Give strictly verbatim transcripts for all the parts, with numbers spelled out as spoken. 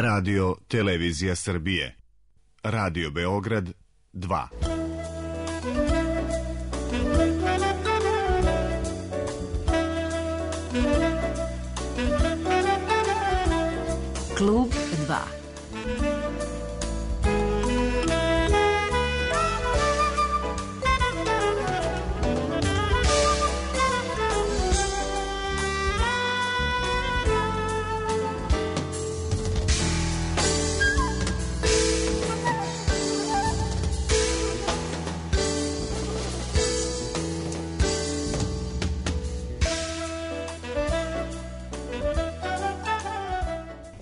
Radio Televizija Srbije. Radio Beograd dva. Klub dva.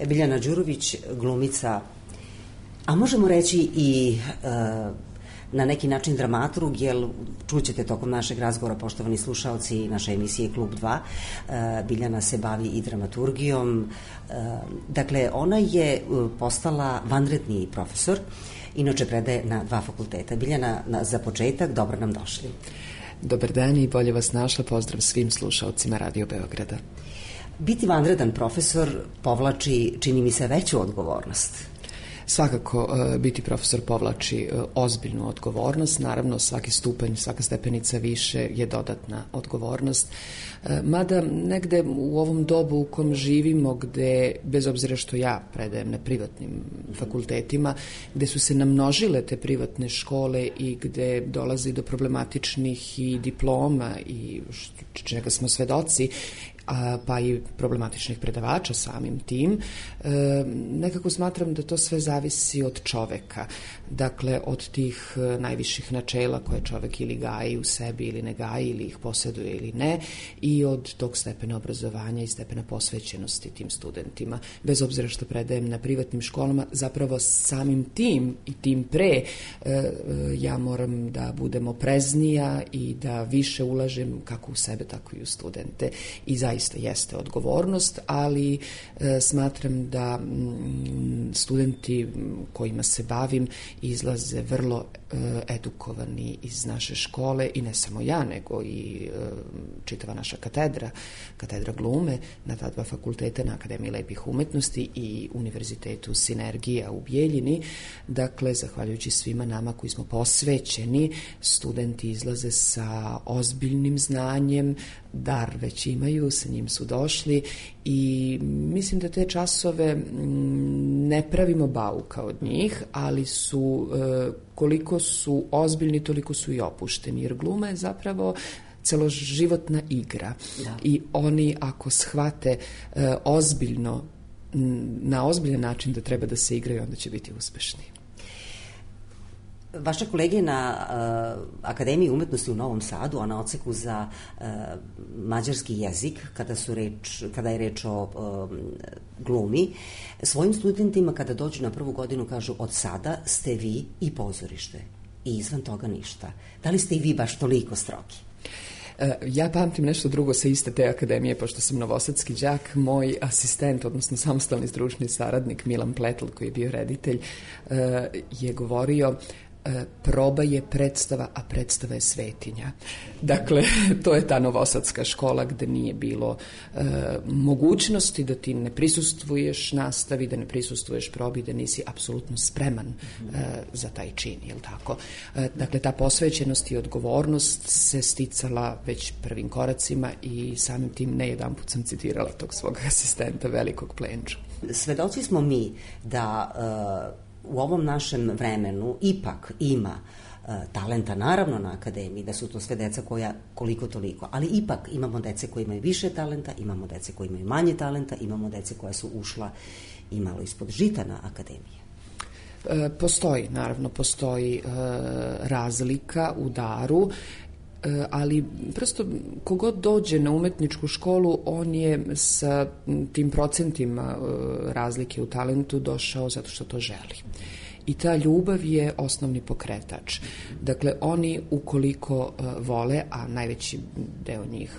Biljana Đurović, glumica, a možemo reći i e, na neki način dramaturg, jer čućete tokom našeg razgovora, poštovani slušaoci naše emisije Klub dva, e, Biljana se bavi i dramaturgijom. E, dakle, ona je postala vanredni profesor, inače predaje na dva fakulteta. Biljana, na, za početak, dobro nam došli. Dobar dan i bolje vas našla, pozdrav svim slušaocima Radio Beograda. Biti vanredan profesor povlači, čini mi se, veću odgovornost. Svakako, biti profesor povlači ozbiljnu odgovornost. Naravno, svaki stupanj, svaka stepenica više je dodatna odgovornost. Mada negde u ovom dobu u kom živimo, gde, bez obzira što ja predajem na privatnim fakultetima, gde su se namnožile te privatne škole i gde dolazi do problematičnih i diploma i čega smo svedoci, a, pa i problematičnih predavača samim tim, e, nekako smatram da to sve zavisi od čoveka. Dakle, od tih najviših načela koje čovek ili gaji u sebi ili ne gaji, ili ih posjeduje ili ne, i od tog stepena obrazovanja i stepena posvećenosti tim studentima. Bez obzira što predajem na privatnim školama, zapravo samim tim i tim pre e, ja moram da budem opreznija i da više ulažem kako u sebe, tako i u studente. I zaista Zaista jeste odgovornost, ali e, smatram da m, studenti kojima se bavim izlaze vrlo e, edukovani iz naše škole, i ne samo ja, nego i e, čitava naša katedra, katedra glume na ta dva fakulteta, na Akademiji lepih umetnosti i Univerzitetu Sinergija u Bijeljini. Dakle, zahvaljujući svima nama koji smo posvećeni, studenti izlaze sa ozbiljnim znanjem, dar već imaju, sa njim su došli, i mislim da te časove ne pravimo bauka od njih, ali su, koliko su ozbiljni, toliko su i opušteni, jer gluma je zapravo celoživotna igra. Da. I oni ako shvate ozbiljno, na ozbiljan način da treba da se igraju, onda će biti uspešni. Vaša kolege na uh, Akademiji umetnosti u Novom Sadu, a na odseku za uh, mađarski jezik, kada, su reč, kada je reč o uh, glumi, svojim studentima kada dođu na prvu godinu kažu: od sada ste vi i pozorište, i izvan toga ništa. Da li ste i vi baš toliko strogi? Ja pamtim nešto drugo sa iste te akademije, pošto sam novosadski đak. Moj asistent, odnosno samostalni stručni saradnik Milan Pletl, koji je bio reditelj, je govorio: proba je predstava, a predstava je svetinja. Dakle, to je ta novosadska škola gde nije bilo e, mogućnosti da ti ne prisustvuješ nastavi, da ne prisustvuješ probi, da nisi apsolutno spreman e, za taj čin, jel tako? E, dakle, ta posvećenost i odgovornost se sticala već prvim koracima, i samim tim ne jedan put sam citirala tog svog asistenta, velikog Plenča. Svedoci smo mi da e, u ovom našem vremenu ipak ima uh, talenta, naravno, na akademiji, da su to sve deca koja koliko toliko, ali ipak imamo dece koji imaju više talenta, imamo dece koji imaju manje talenta, imamo dece koja su ušla i malo ispod žita na akademije. E, postoji, naravno, postoji e, razlika u daru, ali prosto kogod dođe na umetničku školu, on je sa tim procentima razlike u talentu došao zato što to želi. I ta ljubav je osnovni pokretač. Dakle, oni ukoliko vole, a najveći deo njih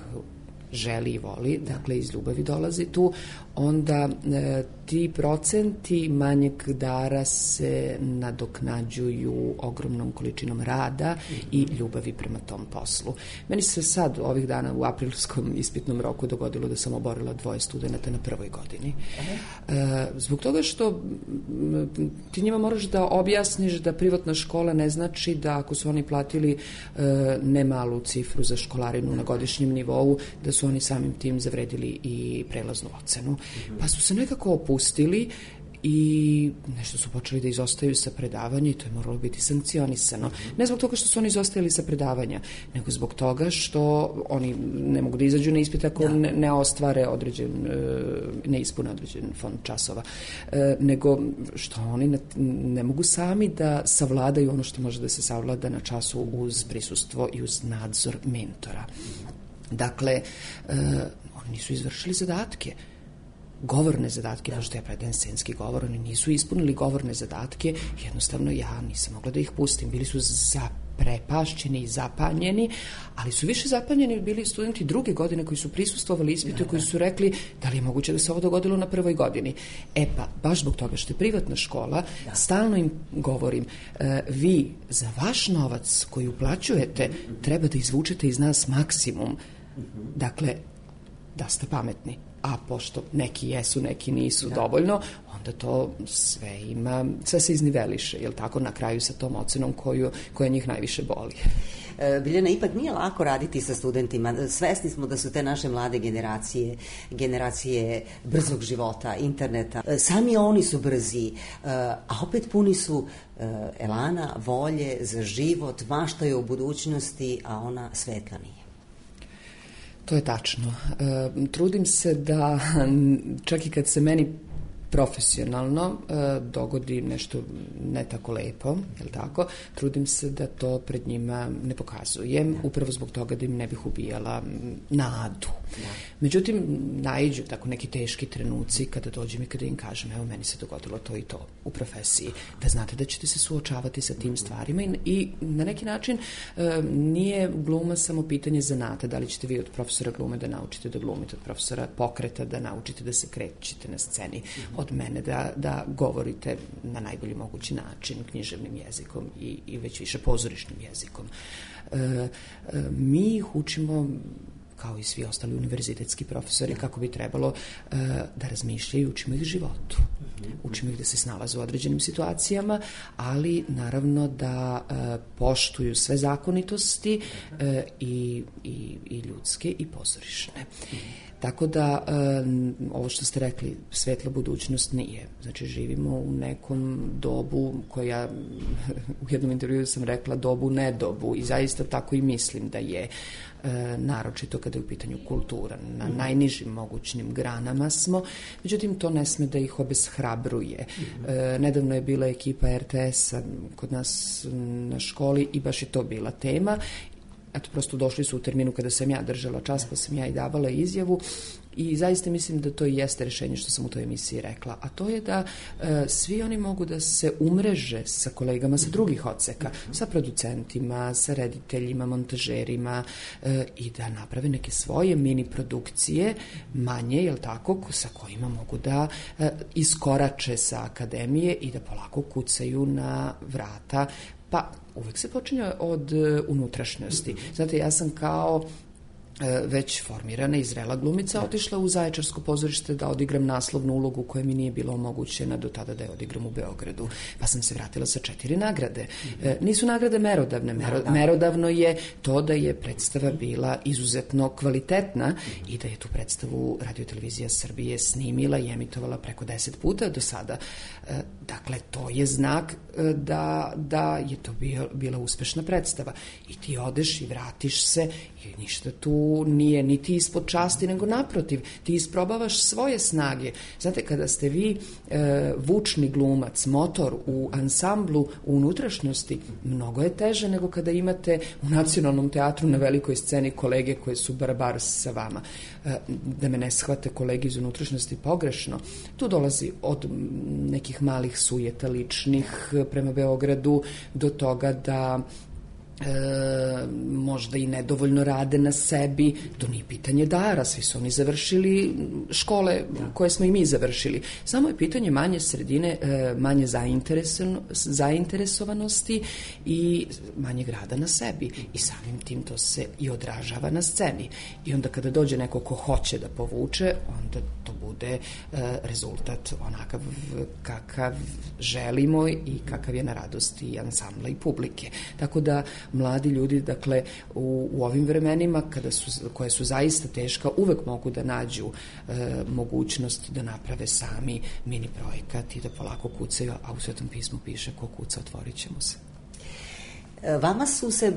želi i voli, dakle iz ljubavi dolazi tu, onda e, ti procenti manjeg dara se nadoknađuju ogromnom količinom rada i ljubavi prema tom poslu. Meni se sad ovih dana u aprilskom ispitnom roku dogodilo da sam oborila dvoje studenta na prvoj godini. E, zbog toga što ti njima moraš da objasniš da privatna škola ne znači da ako su oni platili e, nemalu cifru za školarinu na godišnjem nivou, da su oni samim tim zavredili i prelaznu ocenu. Pa su se nekako opustili i nešto su počeli da izostaju sa predavanja i to je moralo biti sankcionisano. Ne zbog toga što su oni izostajali sa predavanja, nego zbog toga što oni ne mogu da izađu na ispit ako ne, ne ostvare određen, ne ispune određen fond časova, nego što oni ne, ne mogu sami da savladaju ono što može da se savlada na času uz prisustvo i uz nadzor mentora. Dakle, oni nisu izvršili zadatke. Govorne zadatke, možda ja predajem scenski govor, oni nisu ispunili govorne zadatke, jednostavno ja nisam mogla da ih pustim. Bili su zaprepašćeni i zapanjeni, ali su više zapanjeni bili studenti druge godine koji su prisustvovali ispitu i koji su rekli da li je moguće da se ovo dogodilo na prvoj godini. E pa, baš zbog toga što je privatna škola, da. Stalno im govorim, e, vi za vaš novac koji uplaćujete treba da izvučete iz nas maksimum. Dakle, da ste pametni. A pošto neki jesu, neki nisu da. Dovoljno, onda to sve ima, sve se izniveliše, jel tako, na kraju sa tom ocenom koju, koja njih najviše boli. E, Biljana, ipak nije lako raditi sa studentima. Svesni smo da su te naše mlade generacije, generacije brzog života, interneta. E, sami oni su brzi, e, a opet puni su e, elana, volje za život, maštaju o budućnosti, a ona svetla nije. To je tačno. E, trudim se da, čak i kad se meni profesionalno e, dogodi nešto ne tako lepo, je li tako, trudim se da to pred njima ne pokazujem, upravo zbog toga da im ne bih ubijala nadu. Da. Međutim, naiđu tako neki teški trenuci kada dođem i kada im kažem, evo, meni se dogodilo to i to u profesiji, da znate da ćete se suočavati sa tim stvarima i, i na neki način e, nije gluma samo pitanje zanata, da li ćete vi od profesora glume da naučite da glumite, od profesora pokreta da naučite da se krećete na sceni, od mene da, da govorite na najbolji mogući način književnim jezikom i, i već više pozorišnim jezikom. E, e, mi ih učimo kao i svi ostali univerzitetski profesori, kako bi trebalo e, da razmišljaju, učimo ih životu. Učimo ih da se snalaze u određenim situacijama, ali naravno da e, poštuju sve zakonitosti e, i, i, i ljudske i pozorišne. Tako da, ovo što ste rekli, svetla budućnost nije. Znači, živimo u nekom dobu koja, u jednom intervjuu sam rekla, dobu nedobu i zaista tako i mislim da je, naročito kada je u pitanju kultura. Na najnižim mogućnim granama smo, međutim, to ne sme da ih obeshrabruje. Nedavno je bila ekipa er te esa kod nas na školi i baš je to bila tema. Eto, prosto došli su u terminu kada sam ja držala čas, pa sam ja i davala izjavu i zaista mislim da to i jeste rešenje što sam u toj emisiji rekla, a to je da e, svi oni mogu da se umreže sa kolegama sa drugih odseka, sa producentima, sa rediteljima, montažerima e, i da naprave neke svoje mini produkcije, manje, jel tako, sa kojima mogu da e, iskorače sa akademije i da polako kucaju na vrata. Pa uvek se počinje od unutrašnjosti. Znate, ja sam kao već formirana i zrela glumica otišla u Zaječarsko pozorište da odigram naslovnu ulogu koja mi nije bila omogućena do tada da je odigram u Beogradu. Pa sam se vratila sa četiri nagrade. E, nisu nagrade merodavne. Mero, merodavno je to da je predstava bila izuzetno kvalitetna i da je tu predstavu Radio-televizija Srbije snimila i emitovala preko deset puta do sada. E, dakle, to je znak da, da je to bio, bila uspešna predstava. I ti odeš i vratiš se i ništa tu nije niti ispod časti, nego naprotiv, ti isprobavaš svoje snage. Znate, kada ste vi e, vučni glumac, motor u ansamblu, u unutrašnjosti, mnogo je teže nego kada imate u Nacionalnom teatru na velikoj sceni kolege koje su barabar sa vama. E, da me ne shvate kolege iz unutrašnjosti pogrešno. Tu dolazi od nekih malih sujeta ličnih prema Beogradu do toga da E, možda i nedovoljno rade na sebi, to nije pitanje dara, svi su oni završili škole koje smo i mi završili, samo je pitanje manje sredine, e, manje zainteresovanosti i manje rada na sebi i samim tim to se i odražava na sceni i onda kada dođe neko ko hoće da povuče, onda to bude e, rezultat onakav kakav želimo i kakav je na radosti i ansambla i publike, tako da mladi ljudi, dakle, u, u ovim vremenima kada su, koje su zaista teška, uvek mogu da nađu e, mogućnost da naprave sami mini projekat i da polako kucaju, a u Svetom pismu piše ko kuca, otvorit će mu se. Vama su se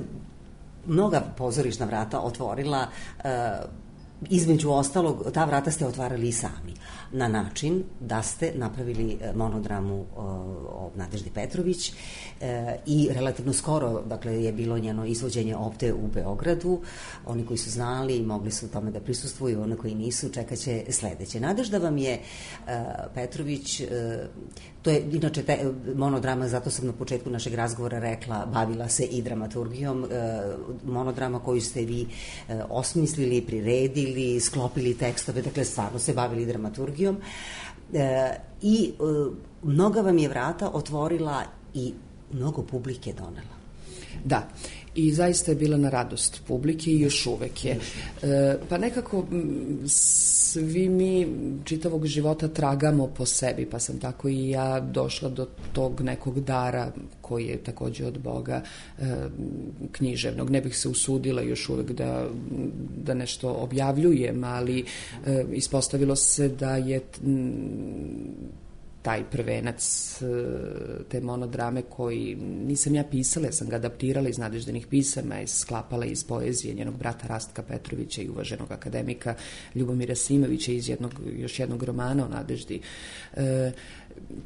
mnoga pozorišna vrata otvorila, e, između ostalog, ta vrata ste otvarali i sami, na način da ste napravili monodramu o, o Nadeždi Petrović e, i relativno skoro, dakle, je bilo njeno izvođenje ovde u Beogradu. Oni koji su znali i mogli su tome da prisustvuju, oni koji nisu, čekaće sledeće. Nadežda vam je e, Petrović, e, to je inače te, monodrama, zato sam na početku našeg razgovora rekla, bavila se i dramaturgijom, e, monodrama koju ste vi e, osmislili, priredili, sklopili tekstove, dakle stvarno se bavili dramaturgijom e, i e, mnoga vam je vrata otvorila i mnogo publike donela. Da, i zaista je bila na radost publike i još uvek je. E, pa nekako svi mi čitavog života tragamo po sebi, pa sam tako i ja došla do tog nekog dara koji je takođe od Boga, e, književnog. Ne bih se usudila još uvek da, da nešto objavljujem, ali e, ispostavilo se da je taj prvenac te monodrame koji nisam ja pisala, ja sam ga adaptirala iz Nadeždinih pisama i sklapala iz poezije njenog brata Rastka Petrovića i uvaženog akademika Ljubomira Simovića iz jednog, još jednog romana o Nadeždi, e,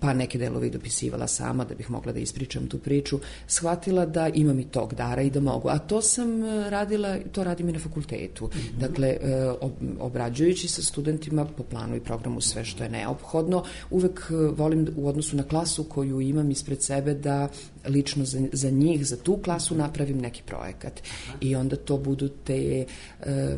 pa neke delove i dopisivala sama da bih mogla da ispričam tu priču, shvatila da imam i tog dara i da mogu. A to sam radila, to radim i na fakultetu. Mm-hmm. Dakle, obrađujući sa studentima po planu i programu sve što je neophodno, uvek volim u odnosu na klasu koju imam ispred sebe da lično za, za njih, za tu klasu napravim neki projekat. Aha. I onda to budu te, e,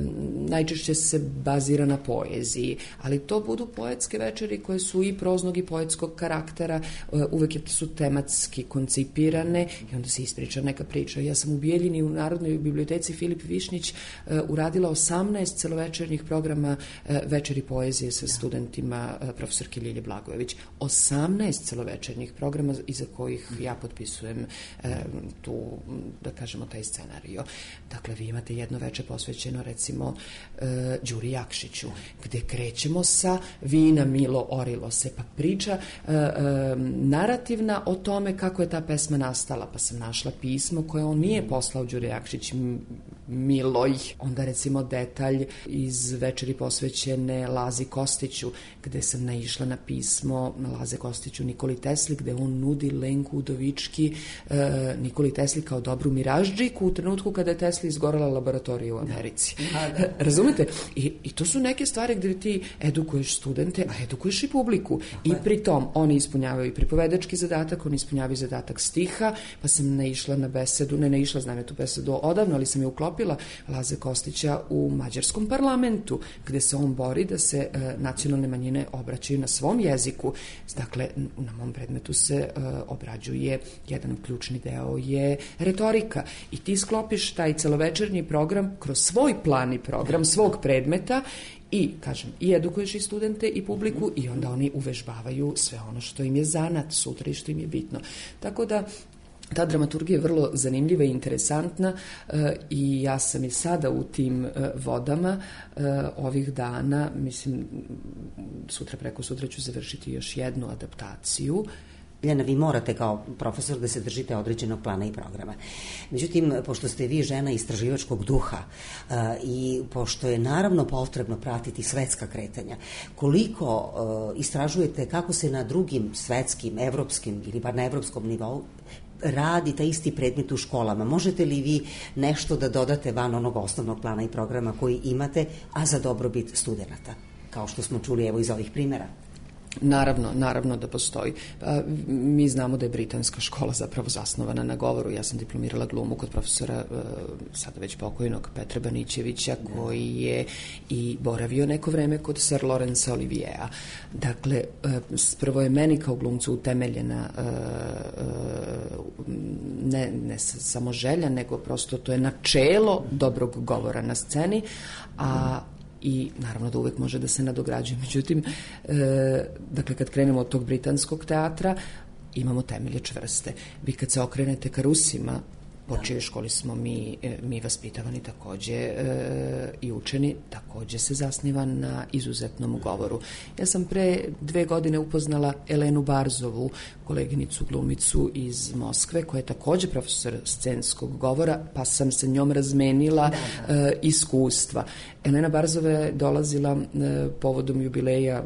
najčešće se bazira na poeziji, ali to budu poetske večeri koje su i proznog i poetskog karaktera, e, uvek su tematski koncipirane i onda se ispriča neka priča. Ja sam u Bijeljini u Narodnoj biblioteci Filip Višnjić e, uradila osamnaest celovečernjih programa e, večeri poezije sa studentima e, profesorke Ljilje Blagojević. osamnaest celovečernjih programa iza kojih ja potpisujem E, tu, da kažemo, taj scenario. Dakle, vi imate jedno veče posvećeno, recimo, e, Đuri Jakšiću, gde krećemo sa Vina Milo orilo se, pa priča e, e, narativna o tome kako je ta pesma nastala, pa sam našla pismo koje on nije poslao Đuri Jakšić Miloj. Onda, recimo, detalj iz večeri posvećene Lazi Kostiću, gde sam naišla na pismo Laze Kostiću Nikoli Tesli, gde on nudi Lenku Udovički e, Nikoli Tesli kao dobru miraždžiku u trenutku kada je Tesli izgorala laboratorija u Americi. Da. Da. Razumete? I, I to su neke stvari gde ti edukuješ studente, a edukuješ i publiku. I pri tom oni ispunjavaju i pripovedački zadatak, oni ispunjavaju zadatak stiha, pa sam naišla na besedu, ne naišla, znam je tu besedu odavno, ali sam je uklopila Laze Kostića u mađarskom parlamentu, gde se on bori da se e, nacionalne manjine obraćaju na svom jeziku. Dakle, na mom predmetu se e, obrađuje jedan ključni deo je retorika i ti sklopiš taj celovečernji program kroz svoj plan i program svog predmeta i, kažem, i edukuješ i studente i publiku i onda oni uvežbavaju sve ono što im je zanat sutra i što im je bitno. Tako da ta dramaturgija je vrlo zanimljiva i interesantna e, i ja sam i sada u tim e, vodama e, ovih dana, mislim, sutra preko sutra ću završiti još jednu adaptaciju. Ljena, vi morate kao profesor da se držite određenog plana i programa. Međutim, pošto ste vi žena istraživačkog duha uh, i pošto je naravno potrebno pratiti svetska kretanja, koliko uh, istražujete kako se na drugim svetskim, evropskim ili bar na evropskom nivou radi taj isti predmet u školama. Možete li vi nešto da dodate van onog osnovnog plana i programa koji imate, a za dobrobit studenata, kao što smo čuli evo iz ovih primjera? Naravno, naravno da postoji. Pa, mi znamo da je britanska škola zapravo zasnovana na govoru. Ja sam diplomirala glumu kod profesora sada već pokojnog Petra Banićevića, koji je i boravio neko vreme kod Sir Laurence Olivierea. Dakle, prvo je meni kao glumcu utemeljena ne, ne samo želja, nego prosto to je načelo dobrog govora na sceni, a i naravno da uvek može da se nadograđuje. Međutim, e, dakle, kad krenemo od tog britanskog teatra, imamo temelje čvrste. Vi kad se okrenete ka Rusima, po čijoj školi smo mi, mi vaspitavani takođe e, i učeni, takođe se zasniva na izuzetnom govoru. Ja sam pre dve godine upoznala Elenu Barzovu, koleginicu glumicu iz Moskve, koja je takođe profesor scenskog govora, pa sam sa njom razmenila da, da. E, iskustva. Elena Barzova je dolazila e, povodom jubileja e,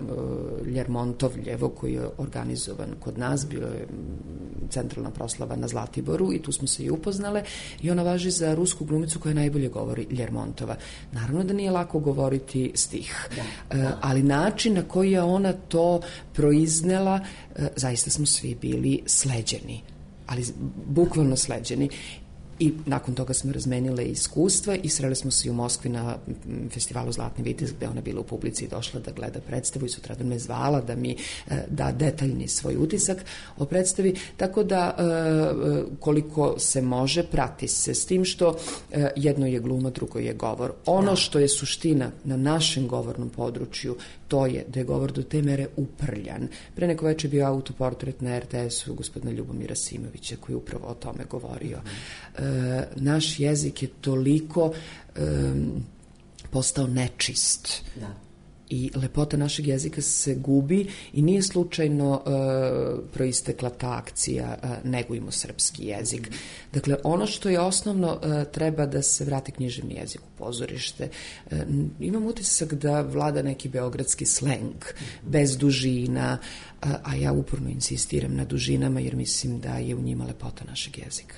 Ljermontovljevo, koji je organizovan kod nas, bio je centralna proslava na Zlatiboru i tu smo se i upoznale, i ona važi za rusku glumicu koja najbolje govori Ljermontova. Naravno da nije lako govoriti stih, da, da. E, ali način na koji je ona to proiznela, e, zaista smo svi bili sleđeni, ali bukvalno sleđeni. I nakon toga smo razmenile iskustva i sreli smo se u Moskvi na festivalu Zlatni vitez, gde ona bila u publici i došla da gleda predstavu i sutradan me zvala da mi e, da detaljni svoj utisak o predstavi, tako da e, koliko se može prati se, s tim što e, jedno je gluma, drugo je govor. Ono da. Što je suština na našem govornom području, to je da je govor do te mere uprljan. Pre neko veče bio autoportret na er te esu gospodina Ljubomira Simovića, koji je upravo o tome govorio. Mm. E, naš jezik je toliko e, postao nečist. Da. I lepota našeg jezika se gubi i nije slučajno e, proistekla ta akcija e, Negujmo srpski jezik. Dakle, ono što je osnovno, e, treba da se vrati književni jezik u pozorište. E, imam utisak da vlada neki beogradski sleng, bez dužina, a, a ja uporno insistiram na dužinama jer mislim da je u njima lepota našeg jezika.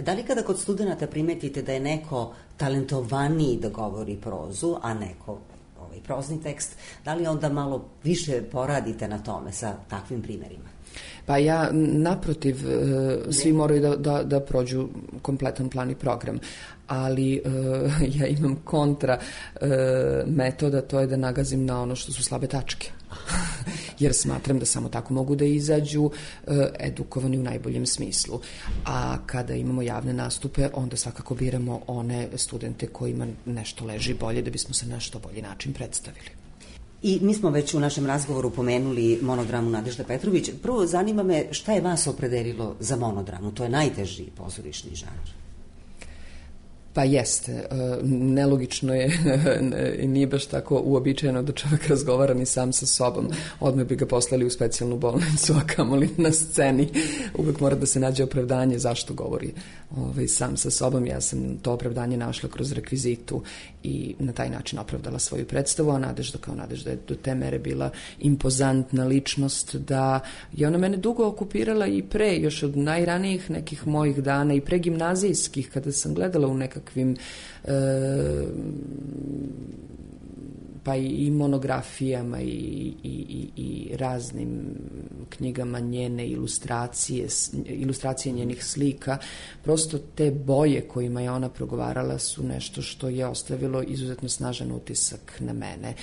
Da li kada kod studenata primetite da je neko talentovaniji da govori prozu, a neko ovaj prozni tekst, da li onda malo više poradite na tome sa takvim primerima? Pa ja, naprotiv, svi moraju da, da, da prođu kompletan plan i program, ali uh, ja imam kontra uh, metoda, to je da nagazim na ono što su slabe tačke. Jer smatram da samo tako mogu da izađu uh, edukovani u najboljem smislu. A kada imamo javne nastupe, onda svakako biramo one studente kojima nešto leži bolje da bismo se na što bolji način predstavili. I mi smo već u našem razgovoru pomenuli monodramu Nadežda Petrović. Prvo, zanima me šta je vas opredelilo za monodramu? To je najteži pozorišni žanr. Pa jeste, nelogično je i nije baš tako uobičajeno da čovjek razgovara ni sam sa sobom. Odmah bi ga poslali u specijalnu bolnicu, a kamoli na sceni. Uvek mora da se nađe opravdanje zašto govori ovaj, sam sa sobom. Ja sam to opravdanje našla kroz rekvizitu i na taj način opravdala svoju predstavu, a Nadežda kao Nadežda je do te mere bila impozantna ličnost da je ona mene dugo okupirala i pre, još od najranijih nekih mojih dana i pre gimnazijskih, kada sam gledala u nekakvim e, pa i monografijama i, i, i, i raznim knjigama njene ilustracije, ilustracije njenih slika, prosto te boje kojima je ona progovarala su nešto što je ostavilo izuzetno snažan utisak na mene.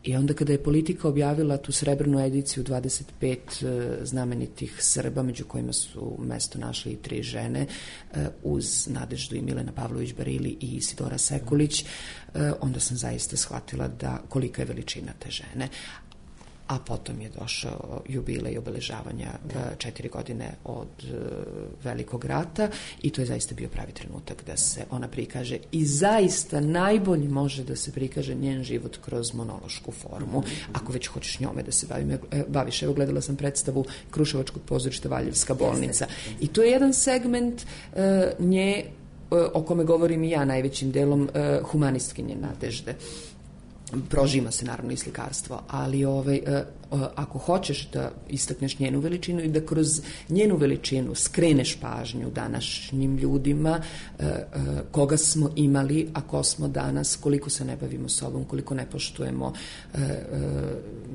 I onda kada je Politika objavila tu srebrnu ediciju dvadeset pet znamenitih Srba, među kojima su mesto našli i tri žene, uz Nadeždu i Milena Pavlović Barili i Isidora Sekulić, onda sam zaista shvatila da kolika je veličina te žene. A potom je došao jubilej obeležavanja četiri godine od Velikog rata i to je zaista bio pravi trenutak da se ona prikaže i zaista najbolje može da se prikaže njen život kroz monološku formu, ako već hoćeš njome da se bavim, baviš. Evo, gledala sam predstavu Kruševačkog pozorišta Valjevska bolnica i to je jedan segment uh, nje uh, o kome govorim i ja najvećim delom, uh, humanistkinje Nadežde. prožima se naravno i slikarstvo, ali ovaj, ako hoćeš da istakneš njenu veličinu i da kroz njenu veličinu skreneš pažnju današnjim ljudima, koga smo imali, a ko smo danas, koliko se ne bavimo sobom, koliko ne poštujemo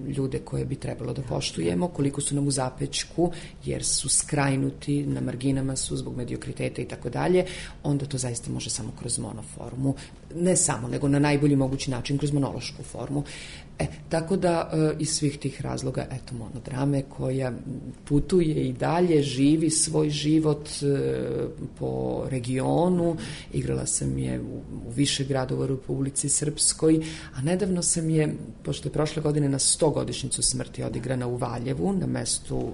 ljude koje bi trebalo da poštujemo, koliko su nam u zapećku jer su skrajnuti, na marginama su zbog mediokriteta i tako dalje, onda to zaista može samo kroz monoformu, ne samo, nego na najbolji mogući način kroz monološku formu. E, tako da e, iz svih tih razloga, eto, monodrame koja putuje i dalje, živi svoj život e, po regionu, igrala sam je u, u više gradova u Republici Srpskoj, a nedavno sam je, pošto je prošle godine na sto godišnjicu smrti odigrana u Valjevu, na mestu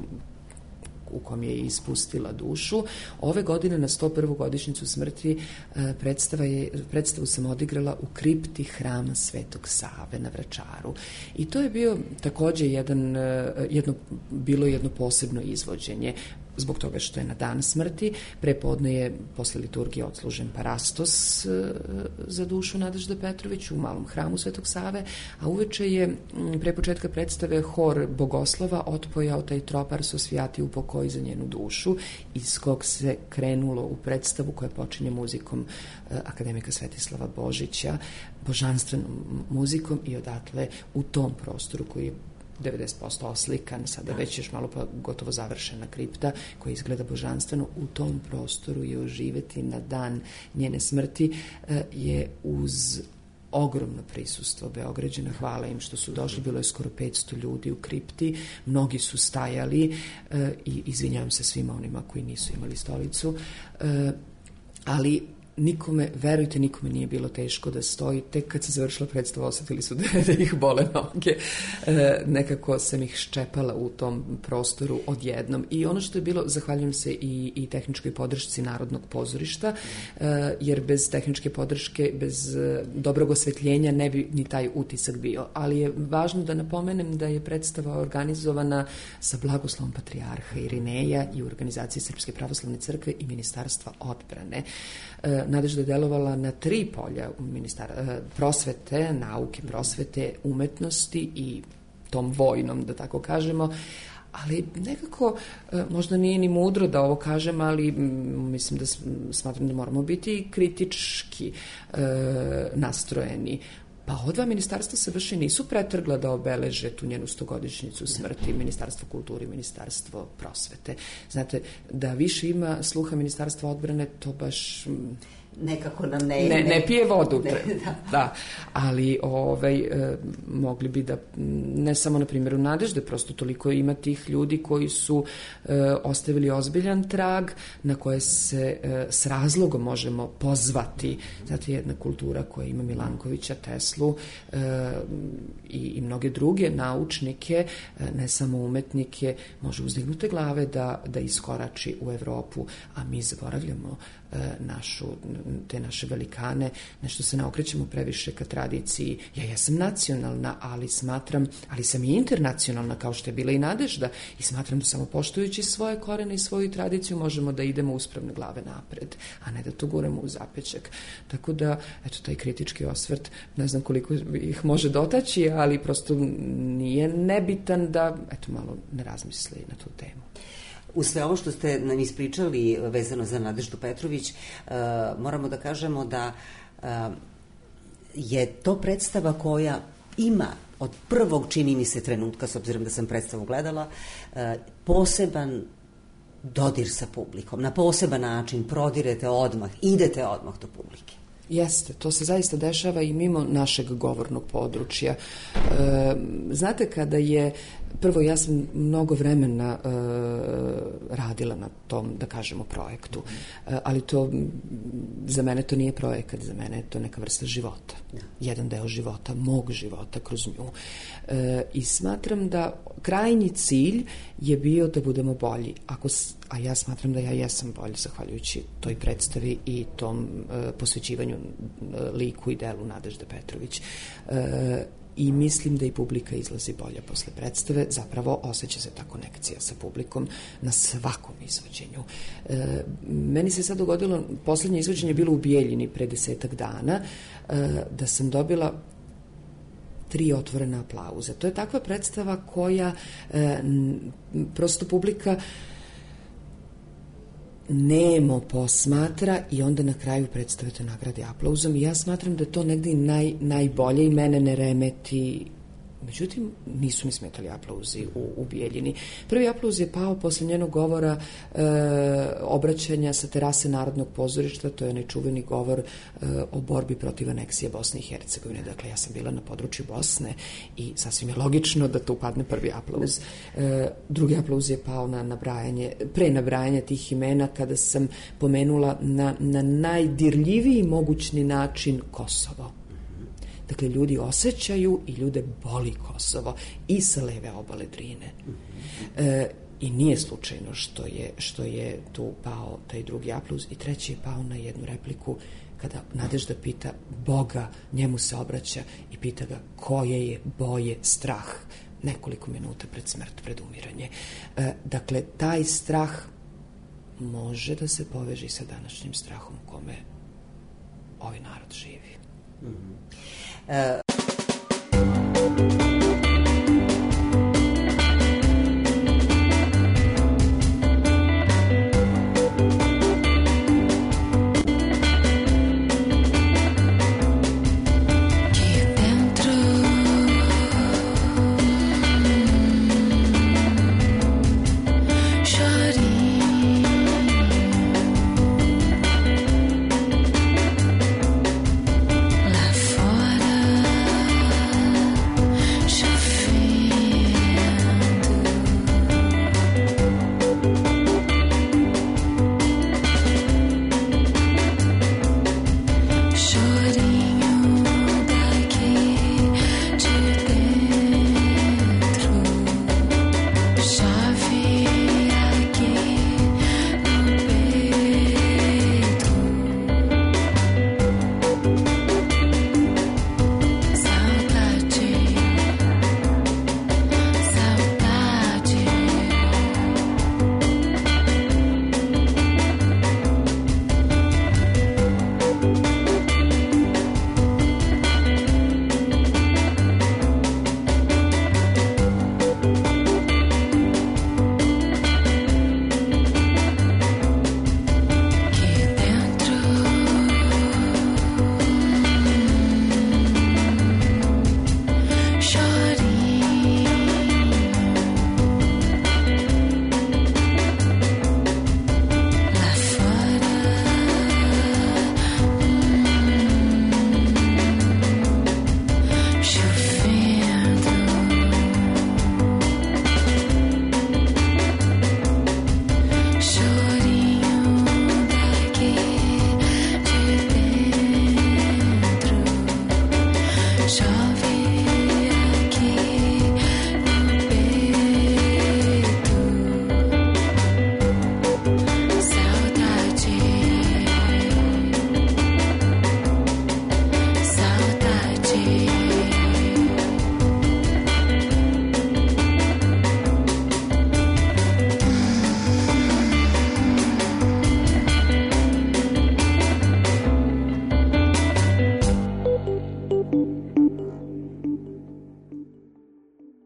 u kom je ispustila dušu. Ove godine na sto prvu godišnjicu smrti predstava je, predstavu sam odigrala u kripti hrama Svetog Save na Vračaru. I to je bio takođe jedan, jedno, bilo jedno posebno izvođenje. Zbog toga što je na dan smrti, prepodne je posle liturgije odslužen parastos za dušu Nadežde Petrović u malom hramu Svetog Save, a uveče je pre početka predstave hor Bogoslova otpojao taj tropar Sosvijati u pokoji za njenu dušu, iz kog se krenulo u predstavu koja počinje muzikom akademika Svetislava Božića, božanstvenom muzikom, i odatle u tom prostoru koji je devedeset posto oslikan, sada već još malo pa gotovo završena kripta koja izgleda božanstveno, u tom prostoru je oživeti na dan njene smrti je uz ogromno prisustvo Beograđana. Hvala im što su došli, bilo je skoro petsto ljudi u kripti, mnogi su stajali i izvinjavam se svima onima koji nisu imali stolicu, ali nikome, verujte, nikome nije bilo teško da stoji. Tek kad se završila predstava osetili su da, da ih bole noge. E, nekako sam ih ščepala u tom prostoru odjednom. I ono što je bilo, zahvaljujem se i, i tehničkoj podršci Narodnog pozorišta, e, jer bez tehničke podrške, bez dobrog osvetljenja ne bi ni taj utisak bio. Ali je važno da napomenem da je predstava organizovana sa blagoslovom patrijarha Irineja i u organizaciji Srpske pravoslavne crkve i Ministarstva odbrane. E, Nadežda je delovala na tri polja ministar, prosvete, nauke, prosvete, umetnosti i tom vojnom, da tako kažemo, ali nekako možda nije ni mudro da ovo kažem, ali mislim da smatram da moramo biti kritički e, nastrojeni. Pa ova dva ministarstva se baš i nisu pretrgla da obeleže tu njenu stogodišnjicu smrti, Ministarstvo kulture i Ministarstvo prosvete. Znate, da više ima sluha Ministarstva odbrane, to baš nekako nam ne... Ne, ne pije vodu. Ne, da. Da, ali ovaj, e, mogli bi da, ne samo na primjeru Nadežde, prosto toliko ima tih ljudi koji su e, ostavili ozbiljan trag na koje se e, s razlogom možemo pozvati. Znate, jedna kultura koja ima Milankovića, Teslu e, i, i mnoge druge naučnike, e, ne samo umetnike, može uzdignute glave da, da iskorači u Evropu, a mi zaboravljamo našu, te naše velikane, nešto se ne okrećemo previše ka tradiciji. Ja jesam nacionalna, ali smatram, ali sam i internacionalna, kao što je bila i Nadežda, i smatram da samo poštujući svoje korene i svoju tradiciju možemo da idemo uspravne glave napred, a ne da to guramo u zapećak. Tako da, eto, taj kritički osvrt, ne znam koliko ih može dotaći, ali prosto nije nebitan da, eto, malo ne razmisli na tu temu. U sve ovo što ste nam ispričali vezano za Nadeždu Petrović, uh, moramo da kažemo da uh, je to predstava koja ima od prvog, čini mi se, trenutka, s obzirom da sam predstavu gledala, uh, poseban dodir sa publikom. Na poseban način prodirete odmah, idete odmah do publike. Jeste, to se zaista dešava i mimo našeg govornog područja. E, znate, kada je, prvo ja sam mnogo vremena e, radila na tom, da kažemo, projektu, e, ali to, za mene to nije projekat, za mene je to neka vrsta života. Jedan deo života, mog života kroz nju. E, I smatram da krajnji cilj je bio da budemo bolji. Ako, a ja smatram da ja jesam bolji, zahvaljujući toj predstavi i tom e, posvećivanju e, liku i delu Nadežde Petrović. E, I mislim da i publika izlazi bolja posle predstave, zapravo osjeća se ta konekcija sa publikom na svakom izvođenju. E, meni se sad dogodilo, poslednje izvođenje je bilo u Bijeljini pre desetak dana, e, da sam dobila tri otvorena aplauza. To je takva predstava koja e, prosto publika nemo posmatra i onda na kraju predstave te nagrade aplauzom i ja smatram da to negdje naj, najbolje i mene ne remeti. Međutim, nisu mi smetali aplauzi u, u Bijeljini. Prvi aplauz je pao posle njenog govora e, obraćanja sa terase Narodnog pozorišta, to je onaj čuveni govor e, o borbi protiv aneksije Bosne i Hercegovine. Dakle, ja sam bila na području Bosne i sasvim je logično da tu padne prvi aplauz. E, drugi aplauz je pao na nabrajanje, pre nabrajanja tih imena kada sam pomenula na, na najdirljiviji mogućni način Kosovo. Dakle, ljudi osjećaju i ljude boli Kosovo i sa leve obale Drine. E, I nije slučajno što je, što je tu pao taj drugi aplauz i treći je pao na jednu repliku kada Nadežda pita Boga, njemu se obraća i pita ga koje je boje strah nekoliko minuta pred smrt, pred umiranje. E, dakle, taj strah može da se poveže sa današnjim strahom u kome ovaj narod živi. Mm-hmm. Uh...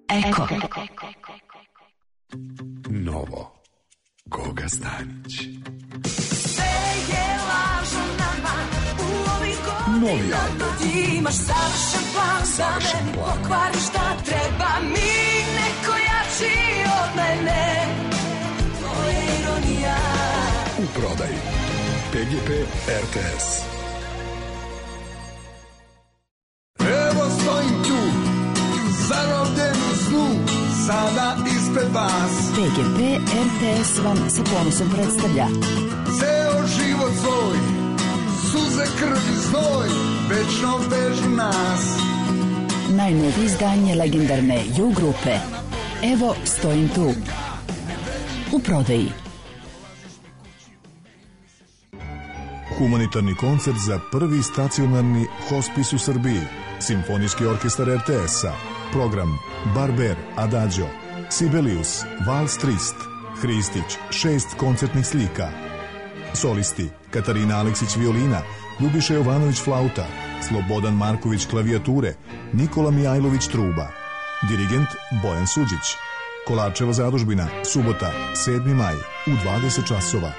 Eko. Novo. Goga Stanić. Novi album. Imaš savršen plan da meni pokvari šta treba mi, neko jači od mene. To je ironija. U prodaji P G P R T S. Evo stojim tu, zarobljen u snu, sada ispred vas. P G P R T S vam sa ponosom predstavlja Ceo život svoj, suze, krv i znoj, večno vežu nas. najnovije izdanje legendarne U grupe Evo stojim tu. U prodaji. Humanitarni koncert za prvi stacionarni hospis u Srbiji. Simfonijski orkestar R T S-a. Program Barber, Adagio, Sibelius, Vals Trist, Hristić, šest koncertnih slika. Solisti Katarina Aleksić violina, Ljubiša Jovanović flauta, Slobodan Marković klavijature, Nikola Mijajlović truba, dirigent Bojan Suđić. Kolarčeva zadužbina, subota, sedmi maj, u dvadeset časova.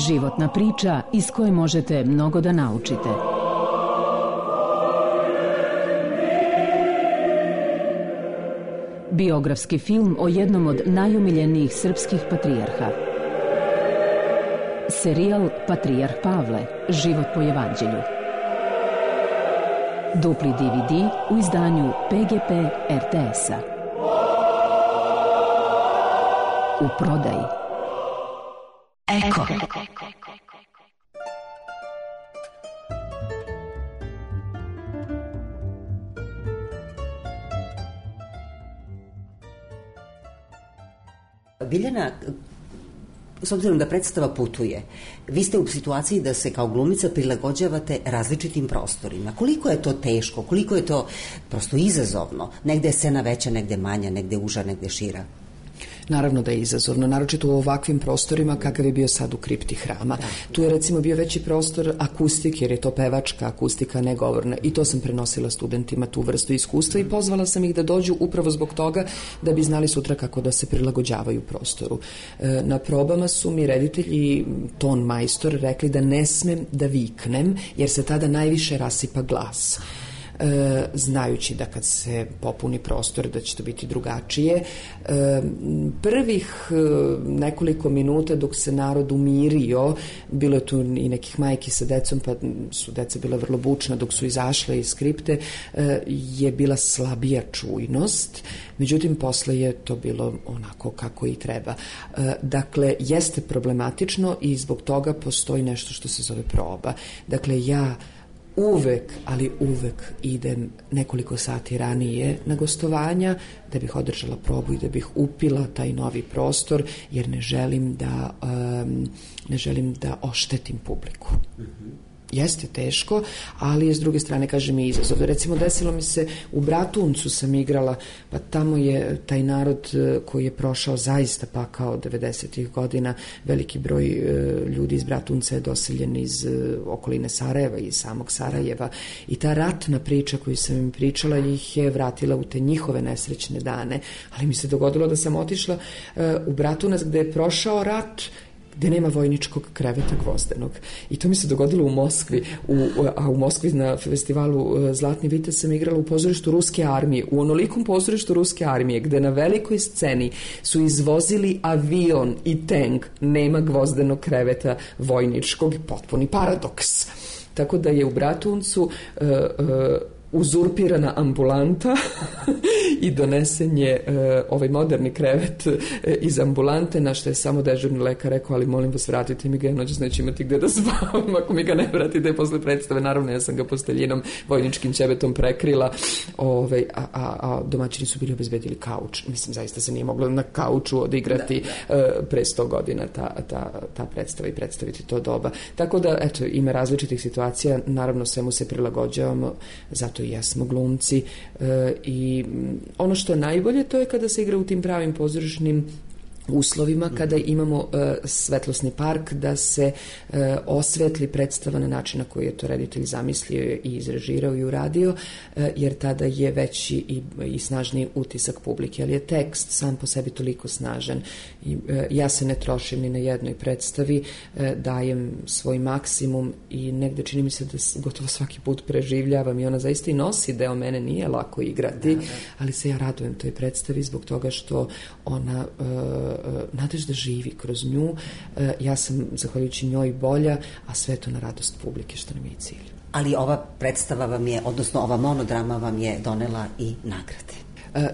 Životna priča iz koje možete mnogo da naučite. Biografski film o jednom od najomiljenijih srpskih patrijarha. Serijal Patrijarh Pavle, život po evanđelju. Dupli D V D u izdanju P G P R T S-a. U prodaji. Eko. Biljana, s obzirom da predstava putuje, vi ste u situaciji da se kao glumica prilagođavate različitim prostorima. Koliko je to teško, koliko je to prosto izazovno? Negde je scena veća, negde manja, negde uža, negde šira. Naravno da je izazovno, naročito u ovakvim prostorima kakav je bio sad u kripti hrama. Tu je recimo bio veći prostor akustik, jer je to pevačka akustika, ne govorna, i to sam prenosila studentima, tu vrstu iskustva, i pozvala sam ih da dođu upravo zbog toga da bi znali sutra kako da se prilagođavaju prostoru. Na probama su mi reditelji, ton majstor, rekli da ne smem da viknem, jer se tada najviše rasipa glas. E, znajući da kad se popuni prostor da će to biti drugačije. E, prvih e, nekoliko minuta dok se narod umirio, bilo je tu i nekih majki sa decom, pa su deca bila vrlo bučna dok su izašle iz skripte, e, je bila slabija čujnost, međutim posle je to bilo onako kako i treba. E, dakle, jeste problematično i zbog toga postoji nešto što se zove proba. Dakle, ja uvek, ali uvek idem nekoliko sati ranije na gostovanja da bih održala probu i da bih upila taj novi prostor, jer ne želim da um, ne želim da oštetim publiku. Mm-hmm. Jeste teško, ali je s druge strane, kažem, i izazov. Recimo, desilo mi se, u Bratuncu sam igrala, pa tamo je taj narod koji je prošao zaista pakao devedesetih godina, veliki broj ljudi iz Bratunca je doseljen iz okoline Sarajeva, iz samog Sarajeva, i ta ratna priča koju sam im pričala ih je vratila u te njihove nesrećne dane, ali mi se dogodilo da sam otišla u Bratunac gde je prošao rat, gde nema vojničkog kreveta gvozdenog. I to mi se dogodilo u Moskvi, u, a u Moskvi na festivalu Zlatni vitez sam igrala u pozorištu Ruske armije, u onolikom pozorištu Ruske armije, gde na velikoj sceni su izvozili avion i tank, nema gvozdenog kreveta vojničkog, potpuni paradoks. Tako da je u Bratuncu uh, uh, uzurpirana ambulanta i donesen je uh, ovaj moderni krevet uh, iz ambulante, na što je samo dežurni lekar rekao, ali molim vas, vratite mi ga, noćas neću imati gde da spavam ako mi ga ne vratite posle predstave. Naravno, ja sam ga posteljinom, vojničkim ćebetom prekrila, ovaj, a, a, a domaćini su bili obezbedili kauč. Mislim, zaista se nije moglo na kauču odigrati da, da. Uh, pre sto godina ta, ta, ta predstava i predstaviti to doba. Tako da, eto, ima različitih situacija, naravno svemu se prilagođavamo, zato i jesmo glumci, e, i ono što je najbolje, to je kada se igra u tim pravim pozorišnim uslovima, kada imamo uh, svetlosni park, da se uh, osvetli predstava na način na koji je to reditelj zamislio i izrežirao i uradio, uh, jer tada je veći i, i snažniji utisak publike, ali je tekst sam po sebi toliko snažan. I, uh, ja se ne trošim ni na jednoj predstavi, uh, dajem svoj maksimum i negde čini mi se da gotovo svaki put preživljavam i ona zaista i nosi deo mene, nije lako igrati, da, da. Ali se ja radujem toj predstavi zbog toga što ona uh, Nadežda živi kroz nju, ja sam zahvaljujući njoj bolja, a sve to na radost publike, što nam je i cilj. Ali ova predstava vam je, odnosno ova monodrama vam je donela i nagrade.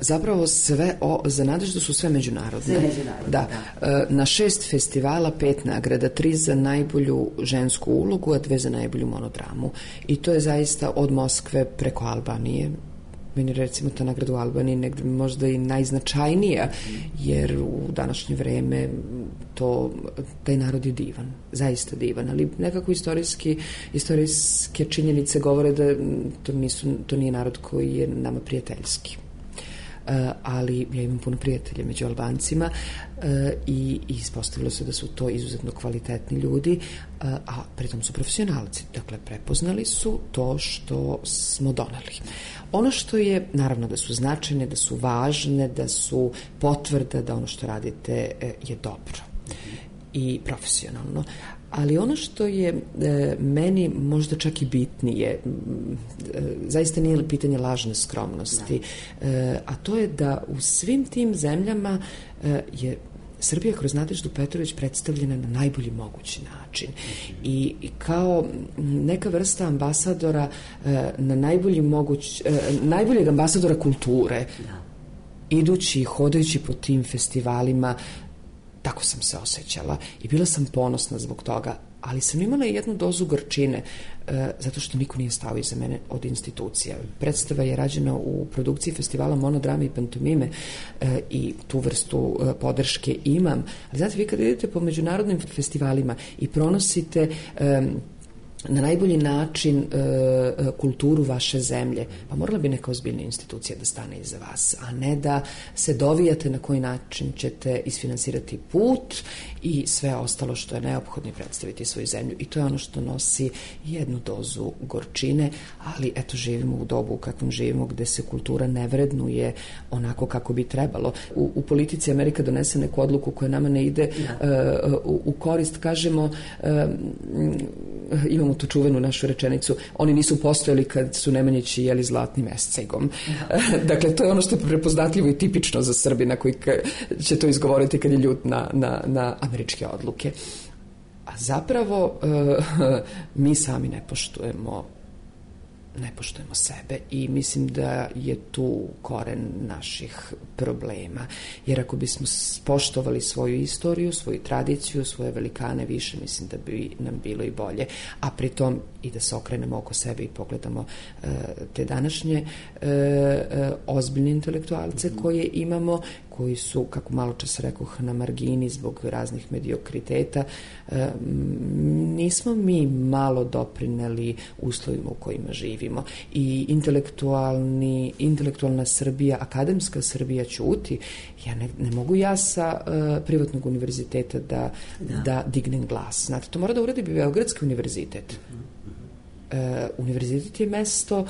Zapravo sve o, za Nadeždu su sve međunarodne. Sve međunarodne, da. da. Na šest festivala pet nagrada, tri za najbolju žensku ulogu, a dve za najbolju monodramu. I to je zaista od Moskve preko Albanije. Meni recimo ta nagrada u Albaniji negde možda i najznačajnija, jer u današnje vreme to, taj narod je divan, zaista divan, ali nekako istorijski, istorijske činjenice govore da to, nisu, to nije narod koji je nama prijateljski. ali ja imam puno prijatelja među Albancima i ispostavilo se da su to izuzetno kvalitetni ljudi, a pritom su profesionalci. Dakle, prepoznali su to što smo doneli. Ono što je, naravno da su značajne, da su važne, da su potvrda da ono što radite je dobro i profesionalno. Ali ono što je e, meni možda čak i bitnije, e, zaista nije pitanje lažne skromnosti, e, a to je da u svim tim zemljama e, je Srbija kroz Nadeždu Petrović predstavljena na najbolji mogući način. I, i kao neka vrsta ambasadora e, na najbolji moguć, e, najboljeg ambasadora kulture, idući i hodajući po tim festivalima, tako sam se osjećala i bila sam ponosna zbog toga, ali sam imala jednu dozu gorčine e, zato što niko nije stao iza mene od institucija. Predstava je rađena u produkciji festivala Monodrame i pantomime e, i tu vrstu e, podrške imam. Ali znate, vi kad idete po međunarodnim festivalima i pronosite e, na najbolji način e, kulturu vaše zemlje, pa morala bi neka ozbiljna institucija da stane iza vas, a ne da se dovijate na koji način ćete isfinansirati put i sve ostalo što je neophodno predstaviti svoju zemlju. I to je ono što nosi jednu dozu gorčine, ali eto, živimo u dobu u kakvom živimo, gde se kultura ne vrednuje onako kako bi trebalo. U, u politici Amerika donese neku odluku koja nama ne ide uh, u, u korist, kažemo, uh, imamo tu čuvenu našu rečenicu, oni nisu postojali kad su Nemanjići jeli zlatnim escegom. Dakle, to je ono što je prepoznatljivo i tipično za Srbina koji će to izgovoriti kad je ljut na, na, na američke odluke. A zapravo mi sami ne poštujemo ne poštujemo sebe i mislim da je tu koren naših problema. Jer ako bismo poštovali svoju istoriju, svoju tradiciju, svoje velikane više, mislim da bi nam bilo i bolje. A pritom i da se okrenemo oko sebe i pogledamo e, te današnje e, e, ozbiljne intelektualce mm-hmm. koje imamo, koji su, kako malo čas rekoh, na margini zbog raznih mediokriteta. E, nismo mi malo doprineli uslovima u kojima živimo. I intelektualni, intelektualna Srbija, akademska Srbija ćuti. Ja ne, ne mogu ja sa uh, privatnog univerziteta da, da. da dignem glas. Znate, to mora da uradi Beogradski univerzitet. Uh, univerzitet je mesto uh,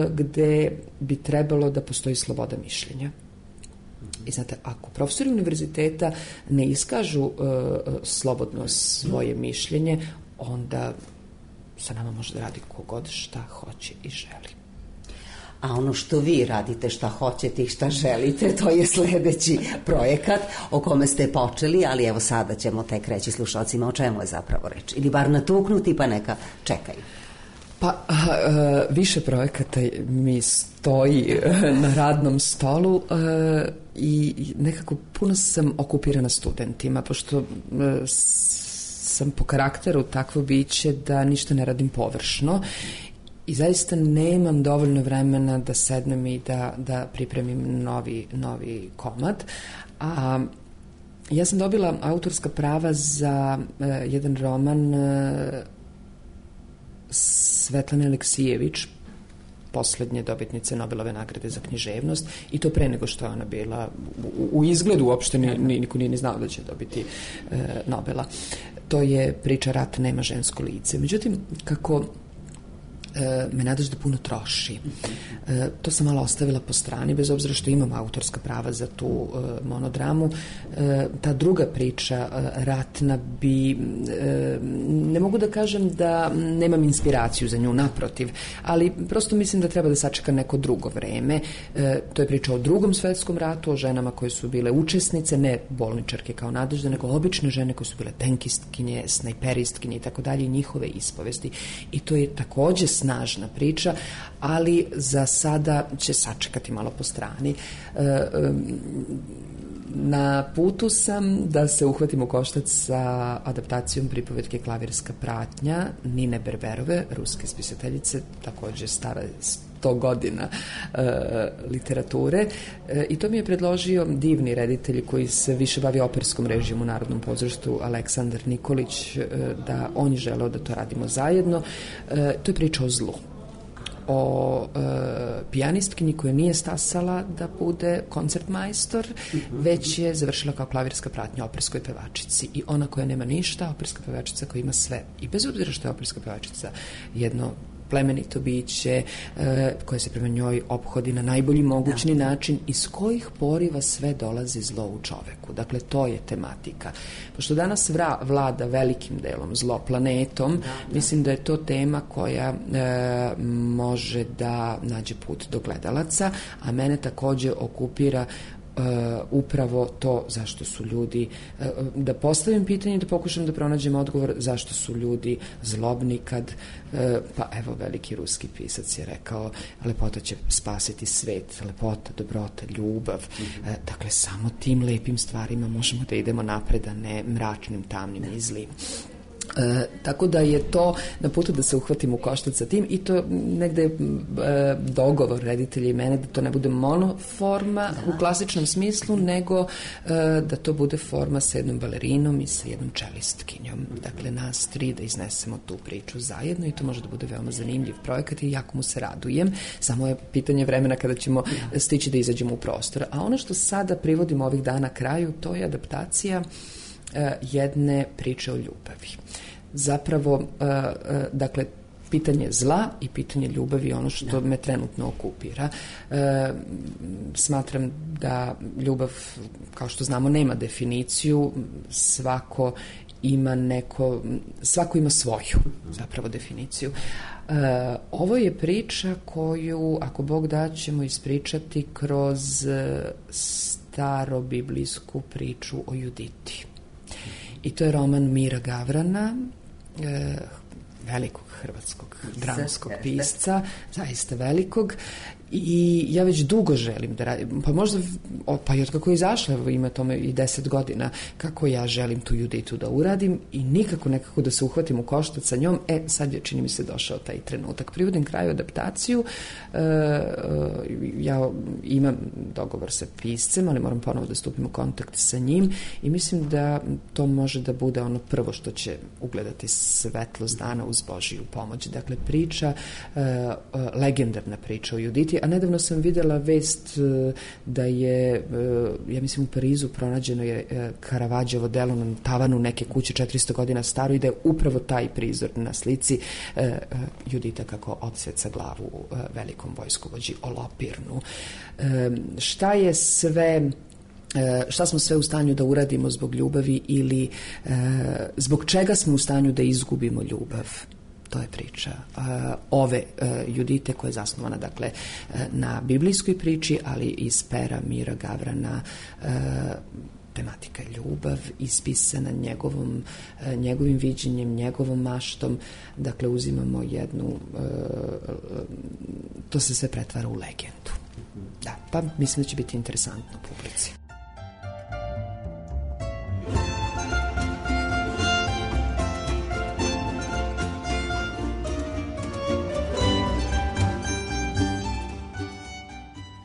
gde bi trebalo da postoji sloboda mišljenja. I znate, ako profesori univerziteta ne iskažu uh, slobodno svoje mišljenje, onda sa nama može da radi kogod šta hoće i želi. A ono što vi radite, šta hoćete i šta želite, to je sledeći projekat o kome ste počeli, ali evo sada ćemo tek reći slušalcima o čemu je zapravo reč. Ili bar natuknuti pa neka čekaju. Pa a, više projekata mi stoji na radnom stolu a, i nekako puno sam okupirana studentima, pošto a, sam po karakteru takvo biće da ništa ne radim površno i zaista nemam dovoljno vremena da sednem i da, da pripremim novi, novi komad. A ja sam dobila autorska prava za uh, jedan roman uh, Svetlane Aleksijević, poslednje dobitnice Nobelove nagrade za književnost, i to pre nego što je ona bila u, u izgledu, uopšte ni, ni, niko nije ni znao da će dobiti uh, Nobela. To je priča Rat nema žensko lice. Međutim, kako e, me Nadežda puno troši, e, to sam malo ostavila po strani, bez obzira što imam autorska prava za tu e, monodramu. E, ta druga priča, e, ratna, bi, e, ne mogu da kažem da nemam inspiraciju za nju, naprotiv, ali prosto mislim da treba da sačeka neko drugo vreme. E, to je priča o drugom svetskom ratu, o ženama koje su bile učesnice, ne bolničarke kao Nadežda, nego obične žene koje su bile tenkistkinje, snajperistkinje i tako dalje, i njihove ispovesti. I to je takođe snažna priča, ali za sada će sačekati malo po strani. E, e, na putu sam da se uhvatim u koštac sa adaptacijom pripovetke Klavirska pratnja Nine Berberove, ruske spisateljice, takođe stara sto godina e, literature, e, i to mi je predložio divni reditelj koji se više bavi operskom režijom u Narodnom pozorištu, Aleksandar Nikolić, e, da on je želeo da to radimo zajedno. E, to je priča o zlu. o e, pijanistkinji koja nije stasala da bude koncertmajstor, već je završila kao klavirska pratnja operskoj pevačici. I ona koja nema ništa, operska pevačica koja ima sve. I bez obzira što je operska pevačica jedno plemenito biće e, koje se prema njoj ophodi na najbolji mogućni da. način, iz kojih poriva sve dolazi zlo u čoveku. Dakle, to je tematika. Pošto danas vra, vlada velikim delom zlo planetom, da, da. mislim da je to tema koja e, može da nađe put do gledalaca, a mene takođe okupira Uh, upravo to zašto su ljudi, uh, da postavim pitanje i da pokušam da pronađem odgovor zašto su ljudi zlobni kad, uh, pa evo veliki ruski pisac je rekao, lepota će spasiti svet, lepota, dobrota, ljubav, mm-hmm. uh, dakle samo tim lepim stvarima možemo da idemo napred, a ne mračnim, tamnim i zlim. E, tako da je to na putu da se uhvatimo u koštac sa tim i to negde je e, dogovor reditelja i mene da to ne bude monoforma da. u klasičnom smislu, nego e, da to bude forma sa jednom balerinom i sa jednom čelistkinjom. Dakle, nas tri da iznesemo tu priču zajedno i to može da bude veoma zanimljiv projekat i jako mu se radujem. Samo je pitanje vremena kada ćemo da. stići da izađemo u prostor. A ono što sada privodimo ovih dana kraju, to je adaptacija jedne priče o ljubavi. Zapravo, dakle, pitanje zla i pitanje ljubavi je ono što da. me trenutno okupira. E, smatram da ljubav, kao što znamo, nema definiciju, svako ima neko, svako ima svoju zapravo definiciju. E, ovo je priča koju, ako Bog da, ćemo ispričati kroz starobiblijsku priču o Juditi. I to je roman Mira Gavrana, e, velikog hrvatskog dramskog pisca, zaista velikog. I ja već dugo želim da radim, pa možda, pa i od kako je izašla, ima tome i deset godina, kako ja želim tu Juditu da uradim i nikako nekako da se uhvatim u koštac sa njom. E, sad je, čini mi se, došao taj trenutak. Privodim kraju adaptaciju, e, ja imam dogovor sa piscem, ali moram ponovo da stupim u kontakt sa njim i mislim da to može da bude ono prvo što će ugledati svetlost dana uz Božiju pomoć. Dakle, priča, e, legendarna priča o Juditi, a nedavno sam videla vest da je, ja mislim, u Parizu pronađeno je Karavadževo delo na tavanu neke kuće četiristo godina staro i da je upravo taj prizor na slici Judita kako odsjeca glavu velikom vojskovođi Olopirnu. Šta je sve... šta smo sve u stanju da uradimo zbog ljubavi ili zbog čega smo u stanju da izgubimo ljubav? To je priča uh, ove uh, Judite koja je zasnovana, dakle, uh, na biblijskoj priči, ali iz pera Mira Gavrana, uh, tematika ljubav, ispisana njegovom, uh, njegovim viđenjem, njegovom maštom. Dakle, uzimamo jednu, uh, to se sve pretvara u legendu. Da, pa mislim da će biti interesantno publici.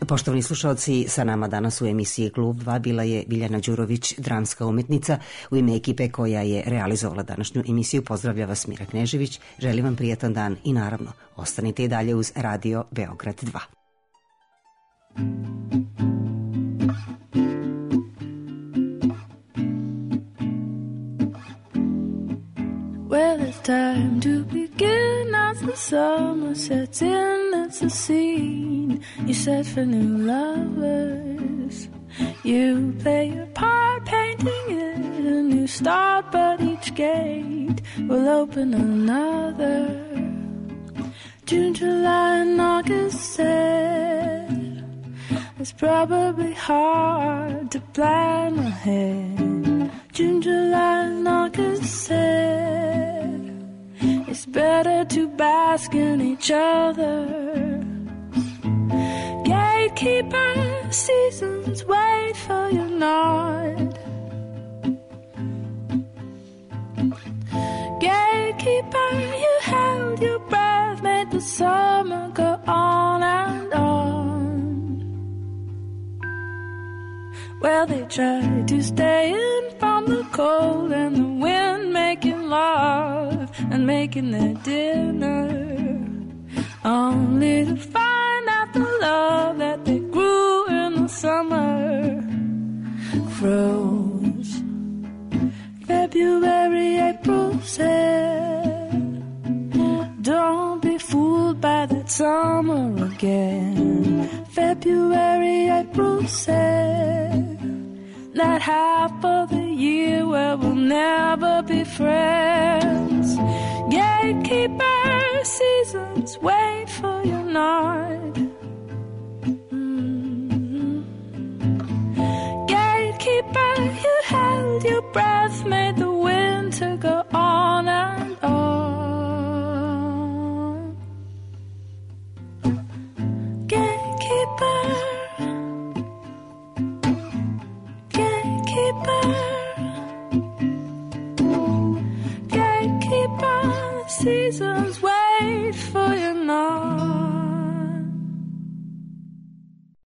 Poštovani slušalci, sa nama danas u emisiji Klub dva bila je Biljana Đurović, dramska umetnica. U ime ekipe koja je realizovala današnju emisiju pozdravlja vas Mira Knežević. Želim vam prijetan dan i naravno ostanite i dalje uz Radio Beograd dva. Well, it's time to begin as the summer sets in. It's a scene you set for new lovers. You play your part, painting it a new start, but each gate will open another. June, July, and August said it's probably hard to plan ahead. June, July, and August said it's better to bask in each other. Gatekeeper, seasons wait for your nod. Gatekeeper, you held your breath, made the summer go on and on. Well, they tried to stay in from the cold and the wind, making love and making their dinner. only to find out the love that they grew in the summer froze. February, April said, don't be fooled by that summer again. February, April said, that half of the year where we'll never be friends. Gatekeeper seasons, wait for your nod. Mm-hmm. Gatekeeper, you held your breath, made the